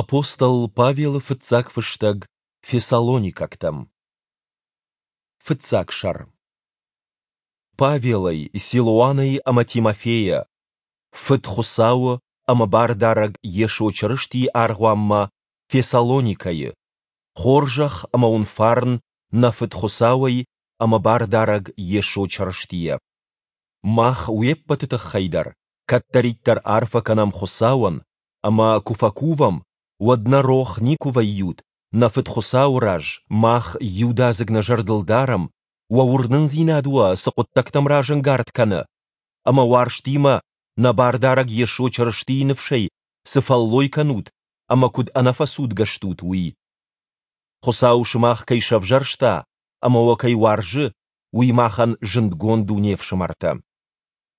Апостол Павелы фыццаг фыстӕг Фессалоникӕгтӕм. Фыццаг сӕр. Павелӕй, Силуанӕй ӕмӕ Тимофейӕ, Фыд Хуыцауы ӕмӕ Бардарӕг Йесо Чырыстийы аргъуанмӕ Фессалоникӕйы, хорзӕх ӕмӕ уын фарн нӕ Фыд Хуыцауӕй ӕмӕ Бардарӕг Йесо Чырыстийӕ. Мах уе ппӕты тыххӕй дӕр кӕддӕриддӕр арфӕ кӕнӕм Хуыцауӕн, ӕмӕ куы фӕкувӕм, уӕд нӕ рох никуы вӕййут нӕ Фыд Хуыцауы раз, мах иудадзыг нӕ зӕрдыл дарӕм, уӕ уырнындзинад уӕ цы хъуыддӕгтӕм разӕнгард кӕны, ӕмӕ уарзтимӕ нӕ Бардарӕг Йесо Чырыстийы ныфсӕй цы фӕллой кӕнут ӕмӕ куыд ӕнӕфӕцудгӕ стут, уый. Хуыцау сымах кӕй сӕвзӕрста ӕмӕ уӕ кӕй уарзы, уый махӕн зындгонд у, не фсымӕртӕ.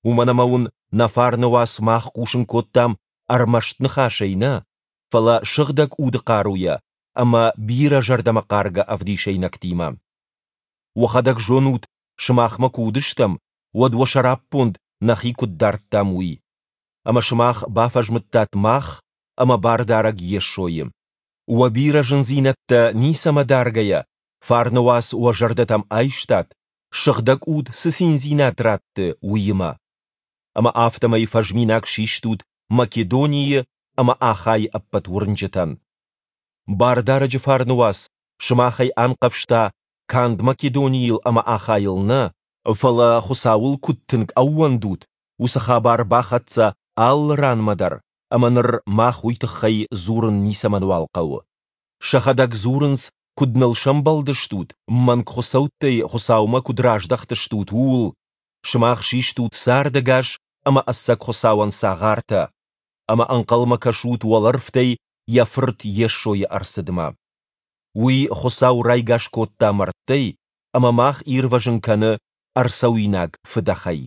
Уымӕн ӕмӕ уын нӕ фарны уац мах хъусын кодтам ӕрмӕст ныхасӕй нӕ, фӕлӕ Сыгъдӕг Уды хъаруйӕ ӕмӕ бирӕ зӕрдӕмӕхъаргӕ ӕвдисӕйнӕгтимӕ. Уӕхӕдӕг зонут, сымахмӕ куы уыдыстӕм, уӕд уӕ сӕраппонд нӕхи куыд дардтам, уый. Ӕмӕ сымах бафӕзмыдтат мах ӕмӕ Бардарӕг Йесойы. Уӕ бирӕ зындзинӕдтӕ ницӕмӕ даргӕйӕ, фарны уац уӕ зӕрдӕтӕм айстат, Сыгъдӕг Уд цы циндзинад ратты, уыимӕ. Ӕмӕ афтӕмӕй фӕзминаг систут Македонийы ӕмӕ Ахайы ӕппӕт уырнджытӕн. Бардарӕджы фарны уац сымахӕй анхъӕвзта канд Македонийыл ӕмӕ Ахайыл нӕ, фӕлӕ Хуыцауыл куыд тынг ӕууӕндут, уыцы хабар бахӕццӕ алы ранмӕ дӕр, ӕмӕ ныр мах уый тыххӕй дзурын ницӕмӕнуал хъӕуы. Сӕхӕдӕг дзурынц, куыд ныл сӕмбӕлдыстут, мӕнг хуыцӕуттӕй Хуыцаумӕ куыд раздӕхтыстут, ууыл, сымах систут цардӕгас ӕмӕ ӕцӕг Хуыцауӕн цагъартӕ, ӕмӕ ӕнхъӕлмӕ кӕсут уӕлӕрвтӕй Йӕ Фырт Йесойы ӕрцыдмӕ. Уый Хуыцау райгас кодта мӕрдтӕй ӕмӕ мах ирвӕзын кӕны ӕрцӕуинаг фыдӕхӕй.